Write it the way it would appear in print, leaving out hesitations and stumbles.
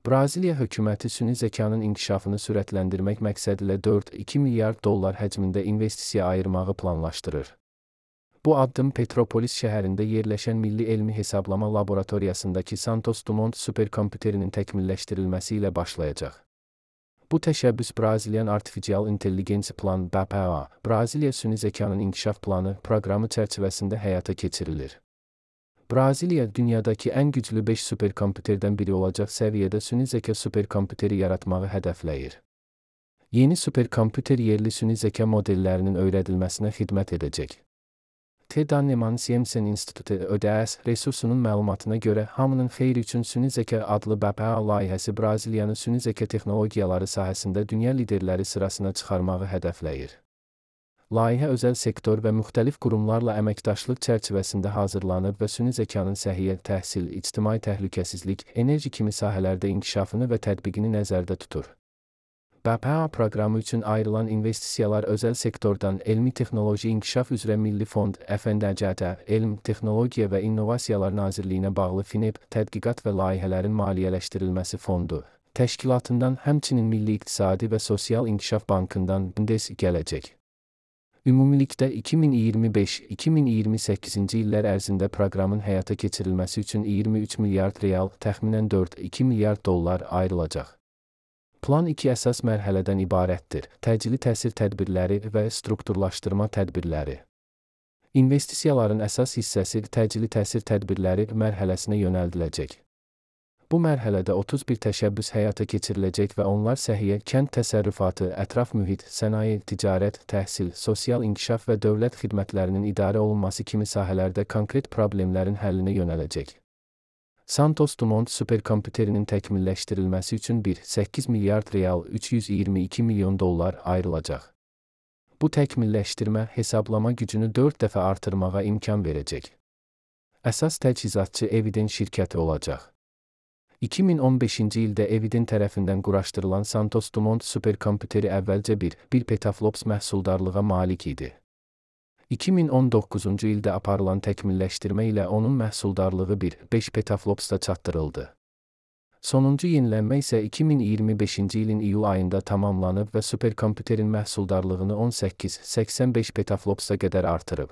Braziliya hökuməti süni zəkanın inkişafını sürətləndirmək məqsədilə 4,2 milyard dollar həcmində investisiya ayırmağı planlaşdırır. Bu addım Petropolis şəhərində yerləşən Milli Elmi Hesablama Laboratoriyasındakı Santos Dumont superkompüterinin təkmilləşdirilməsi ilə başlayacaq. Bu təşəbbüs Brazilian Artificial Intelligence Plan (BPA), Braziliya süni zəkanın inkişaf planı proqramı çərçivəsində həyata keçirilir. Braziliya, dünyadakı ən güclü 5 superkompüterdən biri olacaq səviyyədə süni zəka superkompüteri yaratmağı hədəfləyir. Yeni superkompüter yerli süni zəka modellərinin öyrədilməsinə xidmət edəcək. TED Anneman Siemsen İnstitutu ÖDS resursunun məlumatına görə Hamının Xeyri üçün Süni Zəka adlı BPA layihəsi Braziliyanı süni zəka texnologiyaları sahəsində dünya liderləri sırasına çıxarmağı hədəfləyir. Layihə özəl sektor və müxtəlif qurumlarla əməkdaşlıq çərçivəsində hazırlanıb və süni zəkanın səhiyyə, təhsil, ictimai təhlükəsizlik, enerji kimi sahələrdə inkişafını və tətbiqini nəzərdə tutur. BPA proqramı üçün ayrılan investisiyalar özəl sektordan Elmi Texnoloji İnkişaf üzrə Milli Fond, FNDCT, Elm, Texnologiya və İnnovasiyalar Nazirliyinə bağlı FİNEP, Tədqiqat və Layihələrin Maliyyələşdirilməsi Fondu təşkilatından, həmçinin Milli İqtisadi və Sosial İnkişaf Bankından BNDES gələcək. Ümumilikdə 2025-2028-ci illər ərzində proqramın həyata keçirilməsi üçün 23 milyard real, təxminən 4,2 milyard dollar ayrılacaq. Plan 2 əsas mərhələdən ibarətdir: təcili təsir tədbirləri və strukturlaşdırma tədbirləri. İnvestisiyaların əsas hissəsi təcili təsir tədbirləri mərhələsinə yönəldiləcək. Bu mərhələdə 31 təşəbbüs həyata keçiriləcək və onlar səhiyyə, kənd təsərrüfatı, ətraf mühit, sənaye, ticarət, təhsil, sosial inkişaf və dövlət xidmətlərinin idarə olunması kimi sahələrdə konkret problemlərin həllinə yönələcək. Santos Dumont superkompüterinin təkmilləşdirilməsi üçün 1,8 milyard real, 322 milyon dollar ayrılacaq. Bu təkmilləşdirmə hesablama gücünü 4 dəfə artırmağa imkan verəcək. Əsas təchizatçı Eviden şirkəti olacaq. 2015-ci ildə Eviden tərəfindən quraşdırılan Santos Dumont superkompüteri əvvəlcə 1 petaflops məhsuldarlığa malik idi. 2019-cu ildə aparılan təkmilləşdirmə ilə onun məhsuldarlığı 5 petaflopsda çatdırıldı. Sonuncu yenilənmə isə 2025-ci ilin iyul ayında tamamlanıb və superkompüterin məhsuldarlığını 18-85 petaflopsa qədər artırıb.